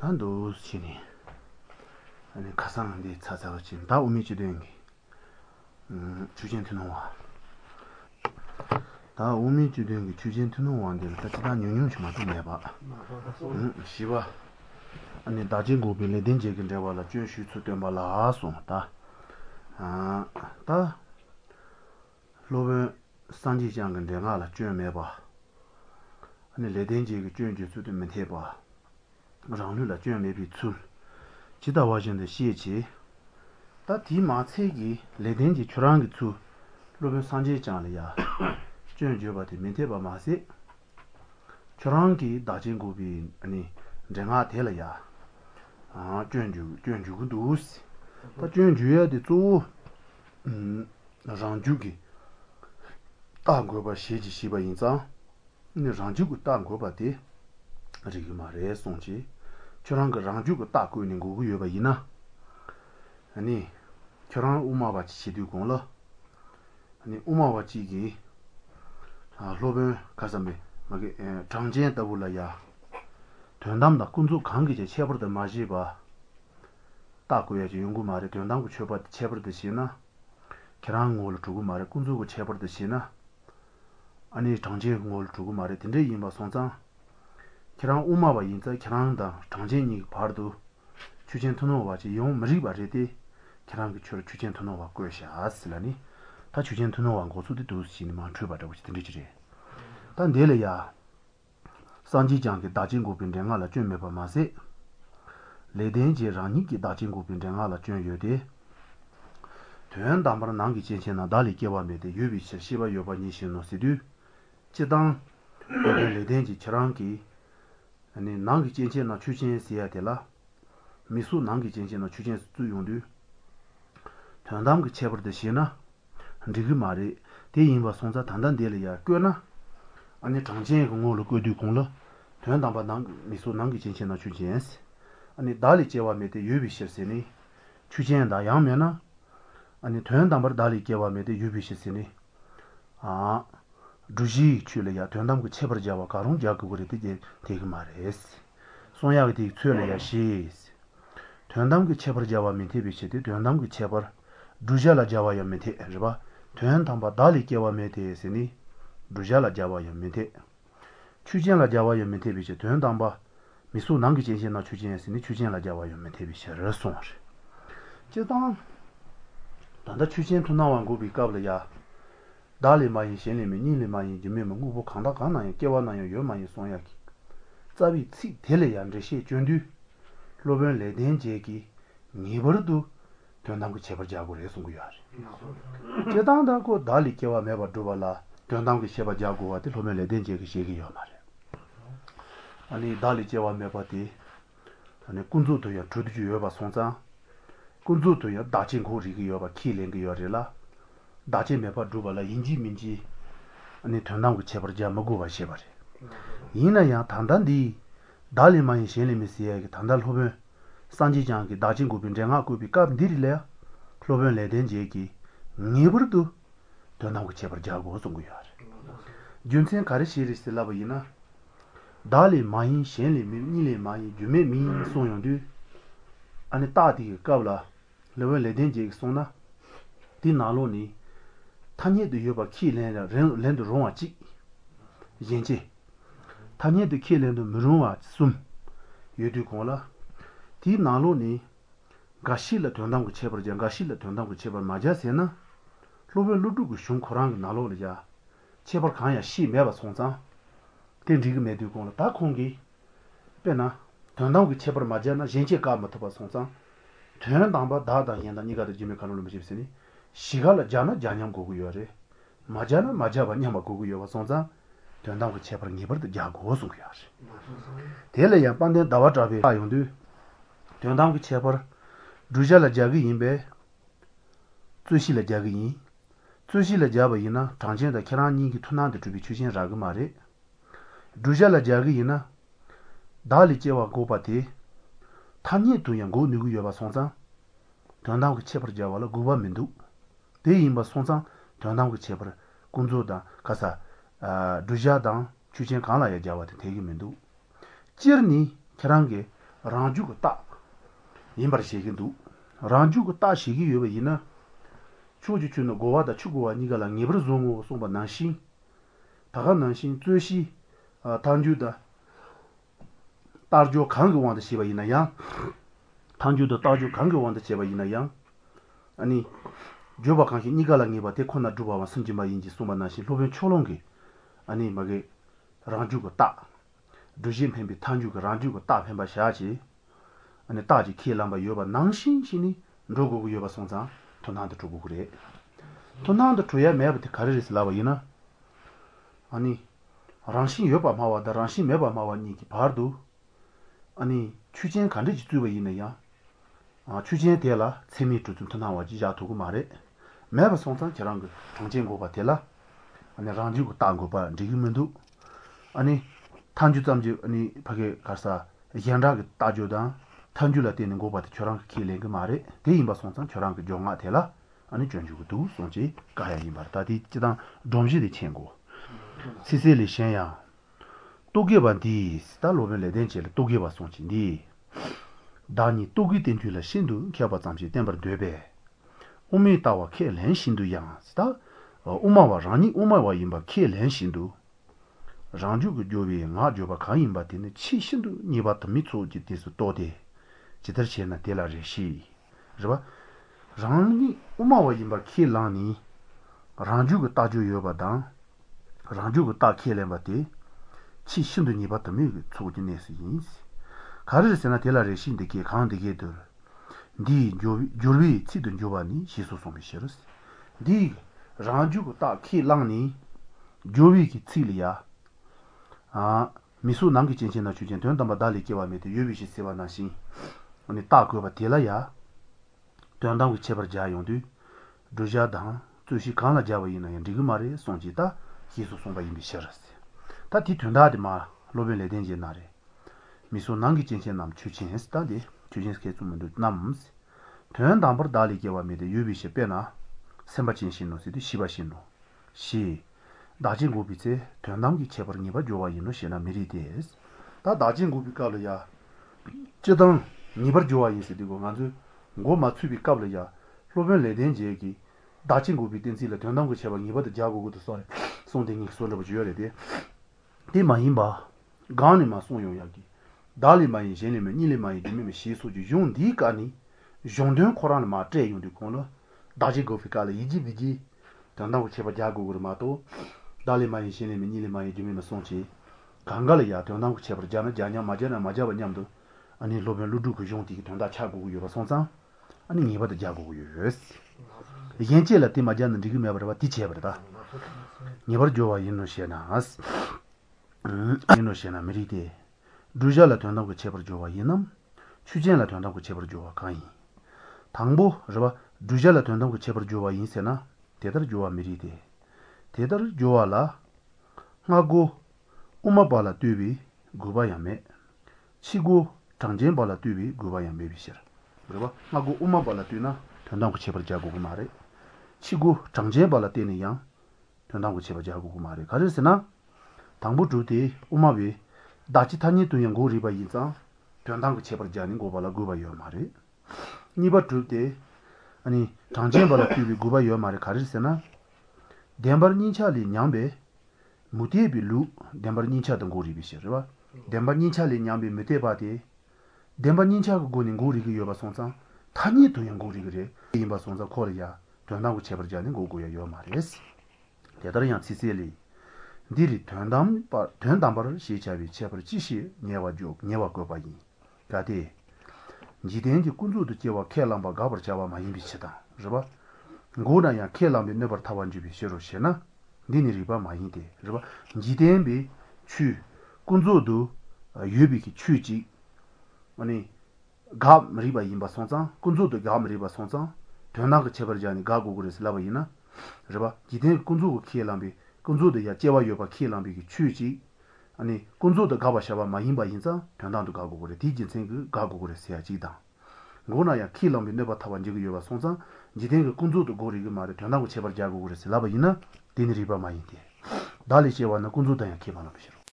단도 신이 아니 가상한데 찾아가 지금 다 우미지 된 게. 주젠트 놓아. 다 우미지 된 게 주젠트 놓아인데 같이 다 영영 좀 맞좀 해 봐. 시바. 아니 다진 고빌에 된제 근데 와라 준슈 수된 말라 송다. 다 로베 산지장 근데 나라 준매 봐. 아니 레덴제 그 준주 수된 해 봐. 장르라 준매 비출. 지다 와진데 시에지 다 디마체기 레덴지 추랑기 추 로베 산지장이야. 준주바데 멘테바 마세 추랑기 다진고비 아니 내가 될이야. 준주 두스 다 준주야 되 조 장주기 다고바 시지 시바 인자 네 장주고 다고바데 아직 말에 송지 저랑그 장주고 다고 있는 거 요바 이나 아니 저랑 우마바 지도 공了 아니 우마바 지기 로베 가서메 막에 장전 더불어야 된담다 군주 관계제 체버도 마지바 다고야지 연구 말에 된담고 쳐버 체버듯이나 계란을 두고 말에 군주고 체버듯이나 아니 장제공을 두고 말에 된데 이마 송장 계란 우마바 인자 계란다 장제니 바르도 주전 토노와지 용 머리 바르디 계란그 추르 주전 토노와 거샤 아슬라니 다 주전 토노와 고수도 두시니 만트바다고 된지지 단 내려야 산지장게 다진고빈 랭아라 쭌메바 마세 레덴지 라니기 다진고빈 랭아라 쭌여데 되는 담바라 난기 진천나 달리 개와메데 유비시 시바 요바니 신노시두 제당 레덴지 처랑기 아니 난기 진천나 추진시야데라 미수 난기 진천나 추진 수용두 단담그 체버듯이나 리그 말이 대인바 송자 단단데려야 꽤나 아니 장진 공로를 거두 공로 된담바 난 미소 난기 진천나 추진스 아니 달리 제와메데 유비시스니 추진다 양면나 아니 된담바 달리 제와메데 유비시스니 두지 출려야 된담 체버 자와 가롱 자고 그랬지 되게 말했어 손야가 되게 출려야 시 된담 체버 자와 밑에 비치데 된담 체버 두자라 자와 밑에 해봐 된담바 달리 제와메데 했으니 두자라 자와 밑에 추진라 자와 밑에 비치 된담바 미소 남기 진신나 추진했으니 추진라 자와 밑에 비치를 송을 제당 단다 추진 투나wan 고비 까블야 달리 많이 신리면 니리 많이 지면 무보 강다 가나요 깨와나요 요 많이 송야기 자비 치 텔레야 저시 준두 로벤 레덴제기 니버도 된담고 제버자고 해서 거야 제당다고 달리 깨와 매버 두발라 된담고 제버자고 와데 로벤 레덴제기 시기요 말이야 아니 달리 제와 매버디 아니 군주도야 주두주여 봐 송자 군주도야 다진고리기여 봐 키랭기여라 다진 매버 두발라 인지민지 아니 된담고 제버자 먹고 봐 시바리 이나야 단단디 달리만 신리미시에게 단달 호변 산지장기 다진고빈 쟁하고비 깝디릴래 클로벤 레덴제기 니버도 된담고 제버자고 송구야 준센 가르시리스라바이나 달리 마인 신리미 니리 마이 주메미 송용두 아니 따디 까블라 레벨 레덴제기 송나 디나로니 타니에도 여바 키렌라 렌도 롱아지 인지 타니에도 키렌도 무롱아 숨 유두고라 디나로니 가실라 돈담고 체버자 가실라 돈담고 체버 마자세나 로벨 루두고 숑코랑 나로르자 체버 칸야 시 매바 송자 된지그 메두고라 다 공기 빼나 돈담고 체버 마자나 진짜 까마토바 송자 되는 담바 다다 현다 니가도 지메 카노로 미십시니 시갈라 자나 자냠 고고요레 마자나 마자바 냐마 고고요 송자 된담고 체버 니버도 자고 송야시 텔레야 반데 다와트라베 아용두 된담고 체버 두자라 자기 임베 쯔시라 자기 쯔시라 자바이나 당진다 계란니기 투나데 주비 추신 라그 말에 두자라 자기이나 달리제와 고바티 타니 두양고 누구여바 송자 된담고 체버 자와라 고바민두 대임바 송자 된담고 체버 군조다 가사 두자당 추진 강라야 자와데 대기민두 지르니 계란게 ranju go ta imbar shigin du ranju go ta shigi yoba yina chuju chu no gowa da chu gowa niga la ngebr zongo somba nanshin taga nanshin zueshi tanju da tarjo kang wanda shiba yina yang tanju da tarjo kang wanda shiba yina yang 아니 조바 칸히 니가랑이바 데코나 주바와 승지마 인지 소마나시 로벤 초롱게 아니 마게 랑주고 따 두진 펜비 탄주고 랑주고 따 펜바 샤지 아니 따지 키람바 요바 낭신신이 로고고 요바 송자 토나도 주고 그래 토나도 줘야 매버티 가르리스 라바이나 아니 랑신 요바 마와다 랑신 매바 마와니기 바르도 아니 추진 간르지 주바 이네야 추진에 대라 세미 좀 나와지 자두고 말해 매번 송상 저랑 그 정진고가 되라 아니 랑지고 땅고 봐 지금도 아니 탄주담지 아니 밖에 가서 현라게 따줘다 탄주라 되는 거 봐도 저랑 길래 그 말해 대인바 송상 저랑 그 정화 되라 아니 전주고도 송지 가야이 말다디 지당 dom지의 친구 시세리 셴야 또게반디 스탈로벨레 덴체를 또게바 송지니 다니 또기 된줄라 신도 켜봐 잠시 템버 되베 오미타와 켈렌 신도 양스다 오마와 라니 오마와 임바 켈렌 신도 랑주고 조비 nga 조바 가임바 되네 치 신도 니바트 미초지 디스 도데 지더체나 델라레시 저바 랑니 오마와 임바 켈라니 랑주고 따주 요바다 랑주고 따 켈렌바데 치 신도 니바트 미 초지네스 인스 가르르세나 델라레신데게 강데게들 디 조르비 치든 조바니 시소소미시르스 디 랑주고 따 키랑니 조비기 치리야 미수 남기 진신나 주진 된다마 달리게와메데 유비시 세바나시 아니 따고바 델라야 된다고 제버자용도 두자다 주시 강라 자바이나 디그마레 송지다 시소소바 임비시르스 다디 된다디마 로벨레 덴제나레 미소 남기 진신 남 추진했다디 추진스케 좀도 남스 된 담버 달리게와 메데 유비시 빼나 셈바진 신노시디 시바신노 시 나진 고비제 된 남기 제버니바 조와 인노 시나 미리데스 다 나진 고비깔이야 저당 니버 조와 인시디고 간주 고 마츠비 갑려야 로벤 레덴제기 나진 고비 덴지라 된 남기 제버 니버도 자고고도 소리 송댕이 소르버 주여레데 디마임바 가니마 송요야기 달리마이 제네메 니레마이 디메메 시소주 용디가니 용된 코란 마트에 용디 코노 다지 고피칼 이지비지 단다고 제바자고 그러마도 달리마이 제네메 니레마이 디메메 송치 강갈이야 단다고 제바자나 자냐 마자나 마자바냠도 아니 로벤 루두고 용디 단다 차고 요바 송상 아니 니바도 자고 요스 이겐체라 티마자는 디그메 버바 티체버다 니버 조와 인노시나스 인노시나 메리데 두자라 된다고 제벌 좋아 이놈 추진라 된다고 제벌 좋아 가이 당보 저봐 두자라 된다고 제벌 좋아 인세나 대들 좋아 미리데 대들 좋아라 하고 우마발라 뒤비 구바야메 치고 장진발라 뒤비 구바야메 비시라 그러봐 하고 우마발라 뒤나 된다고 제벌 자고 그 말에 치고 장진발라 때는 양 된다고 제벌 자고 그 말에 가르스나 당보 주디 우마비 다치타니 두양 고리바 인자 변당고 제버자니 고발라 고바요 말이 니바 둘때 아니 장제발라 비비 고바요 말이 가르세나 뎀버니차리 냠베 무티에빌루 뎀버니차던 고리비시르바 뎀버니차리 냠베 메테바데 뎀버니차고 고닌 고리기 요바 송상 타니 두양 고리 그래 임바 송자 코리아 변당고 제버자니 고고요 요 말이스 대다른 시셀리 디리 된담바를 시차비 제벌 지시 녀와족 녀와고 바이 가디 지den지 군주도 제와 켈람바 가버 자와 마임비치다 그러봐 고나야 켈람비 네버 타완주비 시로시나 니니리바 마이데 그러봐 지den비 추 군주도 유비기 추지 아니 가 리바 임바 송자 군주도 가 리바 송자 된나가 제벌자니 가고 그래서 라바이나 그러봐 지den 군주고 켈람비 군주도야 제와요바 킬람비기 추지 아니 군주도 가바샤바 마힘바 인자 변단도 가고 그래 디진생 가고 그래 세야지다 고나야 킬람비 네바 타완지고 요바 송상 지된 군주도 고리가 말에 변하고 제발 자고 그래서 라바이나 디니리바 마이데 달리 제와나 군주도야 키바나 비셔